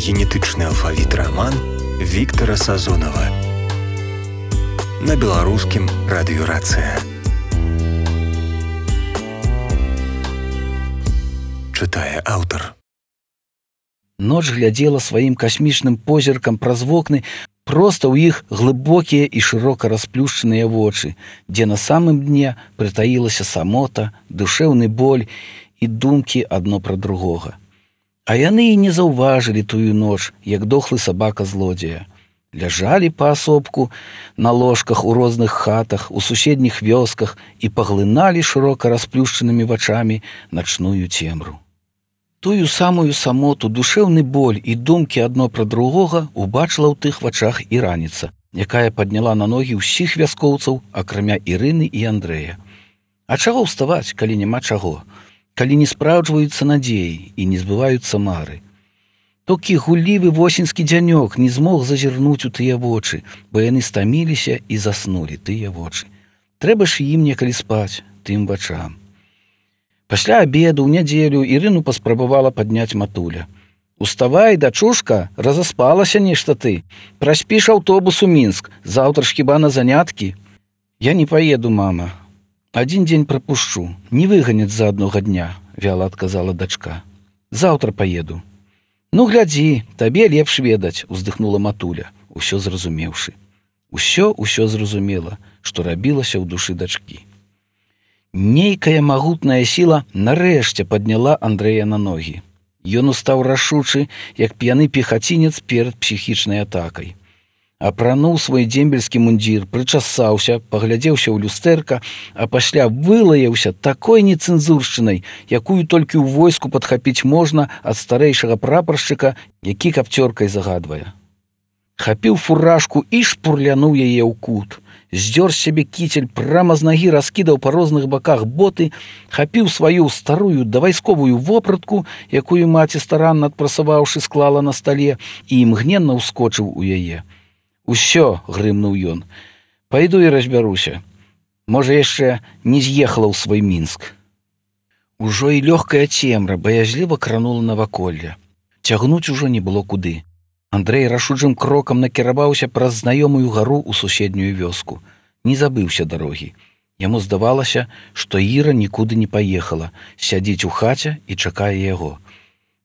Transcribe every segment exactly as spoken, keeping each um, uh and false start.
генетычны алфавіт раман Віктара Сазонава на беларускім радыёрацыя. Чытае аўтар. Ноч глядзела сваім касмічным позіркам праз вокны, проста ў іх глыбокія і шырока расплюшчаныя вочы, дзе на самым дне прытаілася самота, душэўны боль і думкі адно пра другога. А яны і не заўважылі тую ноч, як дохлы сабака-злодзея. Ляжалі паасобку на ложках у розных хатах, у суседніх вёсках і паглыналі шырока расплюшчанымі вачамі начную цемру. Тую самую самоту, душэўны боль і думкі адно пра другога убачыла ў тых вачах і раніца, якая падняла на ногі ўсіх вяскоўцаў, акрамя Ірыны і Андрэя. А чаго ўставаць, калі няма чаго? Калі не спраўджваюцца надзеі і не збываюцца мары. Толькі гуллівы восеньскі дзянёк не змог зазірнуць у тыя вочы, бо яны стаміліся і заснулі тыя вочы. Трэба ж ім некалі спаць, тым вачам. Пасля абеду ў нядзелю Ірыну паспрабавала падняць матуля. «Уставай, дачушка, разаспалася нешта ты. Праспіш аўтобус у Мінск, заўтра ж хіба на заняткі?» «Я не паеду, мама. Адзін дзень прапушчу, не выганяць за аднога дня», — вяла адказала дачка. «Заўтра паеду». «Ну, глядзі, табе лепш ведаць», — уздыхнула матуля, усё зразумеўшы. Усё, усё зразумела, што рабілася ў душы дачкі. Нейкая магутная сіла нарэшце падняла Андрэя на ногі. Ён устаў рашучы, як п'яны пехацінец перад псіхічнай атакай. Апрануў свой дзембельскі мундзір, прычасаўся, паглядзеўся ў люстэрка, а пасля вылаяўся такой нецэнзуршчынай, якую толькі ў войску падхапіць можна ад старэйшага прапаршчыка, які капцёркай загадвае. Хапіў фуражку і шпурлянуў яе ў кут. Здзёр з сябе кіцель, прама з нагі раскідаў па розных баках боты, хапіў сваю старую давайсковую вопратку, якую маці старанна адпрасаваўшы склала на стале, і імгненна ўскочыў у яе. «Усё», — грымнуў ён, — «пайду і разбяруся. Можа, яшчэ не з'ехала ў свой Мінск». Ужо і лёгкая цемра баязліва кранула наваколле. Цягнуць ужо не было куды. Андрэй рашучым крокам накіраваўся праз знаёмую гару ў суседнюю вёску. Не забыўся дарогі. Яму здавалася, што Іра нікуды не паехала, сядзіць у хаце і чакае яго.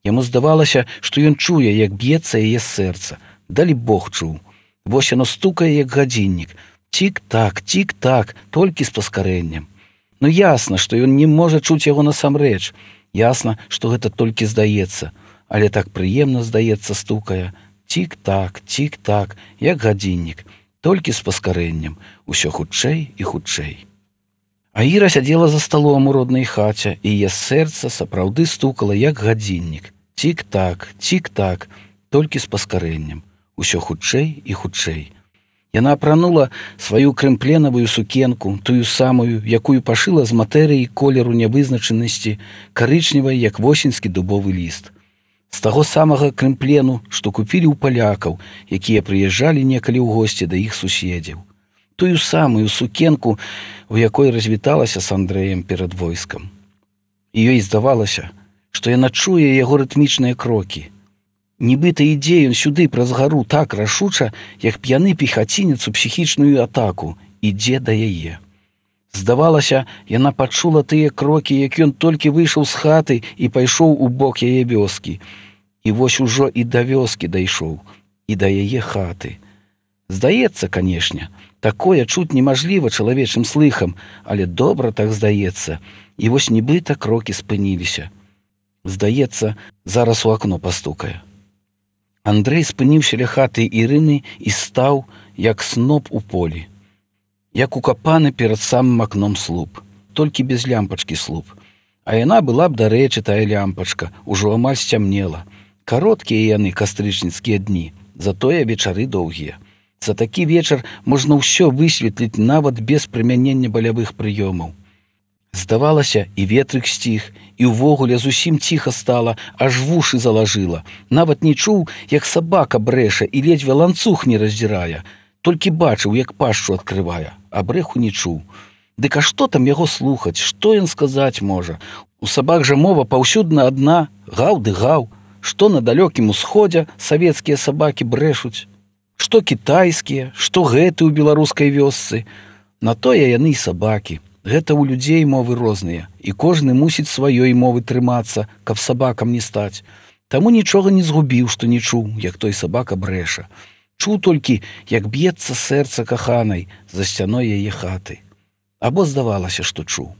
Яму здавалася, што ён чуе, як б'ецца яе сэрца. Далі Бог чуў. Вось яно стукае, як гадзіннік. Цік-так, цік-так, толькі з паскарэннем. Ну ясна, што ён не можа чуць яго насамрэч. Ясна, што гэта толькі здаецца. Але так прыемна, здаецца, стукае. Цік-так, цік-так, як гадзіннік. Толькі з паскарэннем. Усё хутчэй і хутчэй. А Іра сядзела за сталом у роднай хаце, і яе сэрца сапраўды стукала, як гадзіннік. Цік-так, цік-так, толькі з паскарэннем. Усё хутчэй і хутчэй. Яна апранула сваю крэмпленавую сукенку, тую самую, якую пашыла з матэрыі колеру нявызначанасці, карычневай, як восеньскі дубовы ліст. З таго самага крэмплену, што купілі ў палякаў, якія прыязджалі некалі ў госці да іх суседзяў. Тую самую сукенку, у якой развіталася з Андрэем перад войскам. І ёй здавалася, што яна чуе яго рытмічныя крокі. Нібыта ідзе ён сюды праз гару так рашуча, як п'яны пехацінец у псіхічную атаку, ідзе да яе. Здавалася, яна пачула тыя крокі, як ён толькі выйшаў з хаты і пайшоў у бок яе вёскі. І вось ужо і да вёскі дайшоў, і да яе хаты. Здаецца, канешне, такое чуць немажліва чалавечым слыхам, але добра так здаецца, і вось нібыта крокі спыніліся. Здаецца, зараз у акно пастукае. Андрэй спыніўся ля хаты Ірыны і стаў, як сноп у полі. Як укапаны перад самым акном слуп, толькі без лямпачкі слуп. А яна была б, дарэчы, тая лямпачка, ужо амаль сцямнела. Кароткія яны кастрычніцкія дні, затое вечары доўгія. За такі вечар можна ўсё высветліць нават без прымянення балявых прыёмаў. Здавалася, і ветрык сціх, і ўвогуле зусім ціха стала, аж вушы залажыла. Нават не чуў, як сабака брэша і ледзьве ланцуг не раздзірае. Толькі бачыў, як пашчу адкрывае, а брэху не чуў. Дык а што там яго слухаць, што ён сказаць можа? У сабак жа мова паўсюдна адна, гаў ды гаў. што на далёкім усходзе савецкія сабакі брэшуць, што кітайскія, што гэты ў беларускай вёсцы. На тое яны і сабакі. Гэта ў людзей мовы розныя, і кожны мусіць сваёй мовы трымацца, каб сабакам не стаць. Таму нічога не згубіў, што не чуў, як той сабака брэша. Чуў толькі, як б'ецца сэрца каханай за сцяной яе хаты. Або здавалася, што чуў.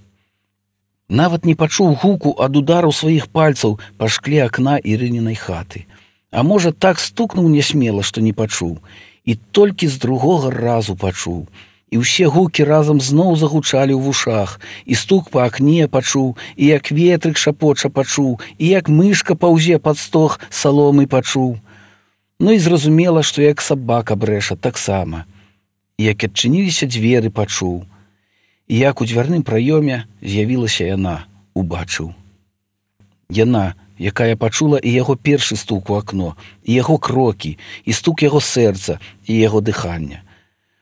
Нават не пачуў гуку ад удару сваіх пальцаў па шкле акна Ірынінай хаты. А можа, так стукнуў нясмела, што не пачуў, і толькі з другога разу пачуў. І ўсе гукі разам зноў загучалі ў вушах, і стук па акне пачуў, і як ветрык шапоча пачуў, і як мышка паўзе пад стог саломы пачуў. Ну і зразумела, што як сабака брэша таксама. І як адчыніліся дзверы пачуў. І як у дзвярным праёме з'явілася яна, убачыў. Яна, якая пачула і яго першы стук у акно, і яго крокі, і стук яго сэрца, і яго дыхання.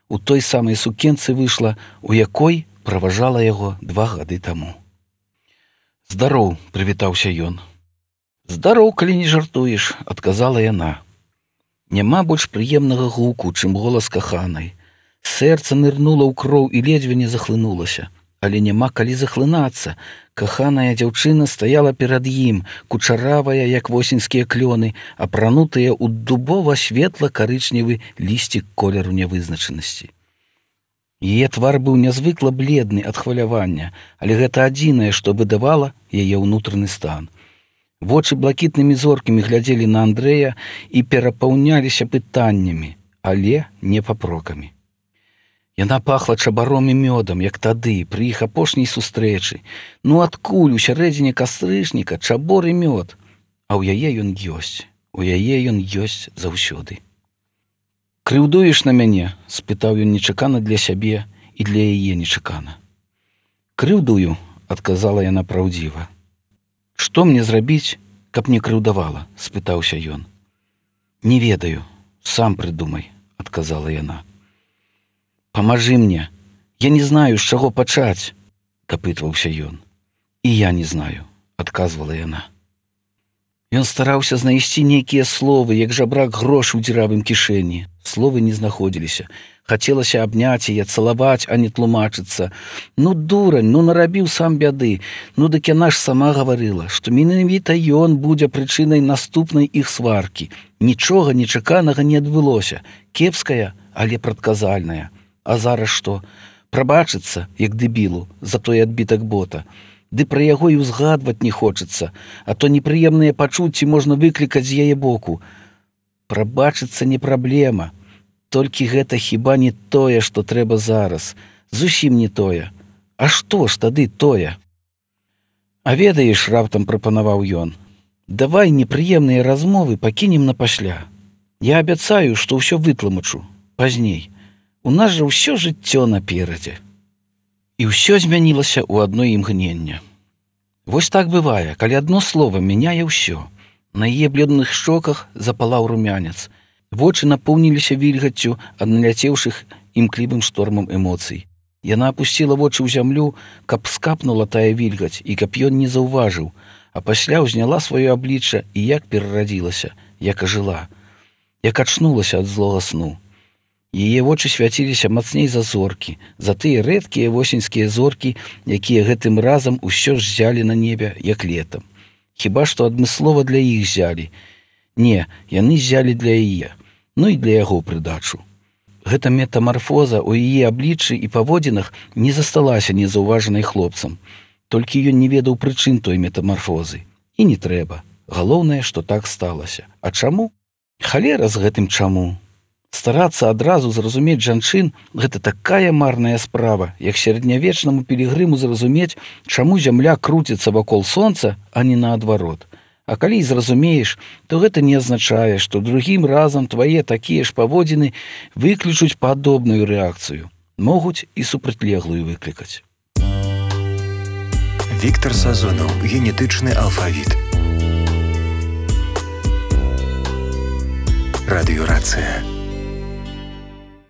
У той самай сукенцы выйшла, у якой праважала яго два гады таму. «Здароў», — прывітаўся ён. «Здароў, калі не жартуеш», — адказала яна. Няма больш прыемнага гуку, чым голас каханай. Сэрца нырнула ў кроў і ледзьве не захлынулася. Але няма калі захлынацца. Каханая дзяўчына стаяла перад ім, кучаравая, як восеньскія клёны, апранутыя ў дубова-светла-карычневы лісцік колеру нявызначанасці. Яе твар быў нязвыкла бледны ад хвалявання, але гэта адзінае, што выдавала яе ўнутраны стан. Вочы блакітнымі зоркамі глядзелі на Андрэя і перапаўняліся пытаннямі, але не папрокамі. Яна пахла чабаром і мёдам, як тады, пры іх апошняй сустрэчы. Ну адкуль у сярэдзіне кастрычніка чабор і мёд? А ў яе ён ёсць, у яе ён ёсць заўсёды. «Крыўдуеш на мяне?» — спытаў ён нечакана для сябе і для яе нечакана. «Крыўдую», — адказала яна праўдзіва. «Што мне зрабіць, каб не крыўдавала?» — спытаўся ён. «Не ведаю, сам прыдумай», — адказала яна. «Памажы мне, я не знаю, з чаго пачаць», — дапытваўся ён. «І я не знаю», — адказвала яна. Ён стараўся знайсці нейкія словы, як жабрак грошы ў дзіравым кішэні. Словы не знаходзіліся. Хацелася абняць яе, цалаваць, а не тлумачыцца. Ну, дурань, ну нарабіў сам бяды. Ну, дык яна ж сама гаварыла, што менавіта ён будзе прычынай наступнай іх сваркі. Нічога нечаканага не адбылося. Кепская, але прадказальная. А зараз што? Прабачыцца, як дэбілу, за той адбітак бота. Ды пра яго і ўзгадваць не хочацца, а то непрыемныя пачуцці можна выклікаць з яе боку. Прабачыцца не праблема. Толькі гэта хіба не тое, што трэба зараз. Зусім не тое. А што ж тады тое? А ведаеш, раптам прапанаваў ён, давай непрыемныя размовы пакінем на пасля. Я абяцаю, што ўсё вытлумачу. Пазней. У нас жа ўсё жыццё наперадзе. І ўсё змянілася ў адно імгненне. Вось так бывае, калі адно слова мяняе ўсё. На яе бледных шчоках запалаў румянец. Вочы напоўніліся вільгаццю ад наляцеўшых імклівым штормам эмоцый. Яна апусціла вочы ў зямлю, каб скапнула тая вільгаць і каб ён не заўважыў, а пасля ўзняла сваё аблічча і як перарадзілася, як ажыла, як ачнулася ад злога сну. Яе вочы свяціліся мацней за зоркі, за тыя рэдкія восеньскія зоркі, якія гэтым разам усё ж ззялі на небе, як летам. Хіба што адмыслова для іх ззялі. Не, яны ззялі для яе, ну і для яго прыдачу. Гэта метамарфоза ў яе абліччы і паводзінах не засталася незаўважанай хлопцам. Толькі ён не ведаў прычын той метамарфозы. І не трэба. Галоўнае, што так сталася. А чаму? Халера з гэтым чаму. Старацца адразу зразумець жанчын – гэта такая марная справа, як сярэднявечнаму пілігрыму зразумець, чаму зямля круціцца вакол сонца, а не наадварот. А калі і зразумееш, то гэта не азначае, што другім разам твае такія ж паводзіны выключуць падобную рэакцыю. Могуць і супрацьлеглую выклікаць. Віктар Сазонаў. Генетычны алфавіт. Радыёрацыя.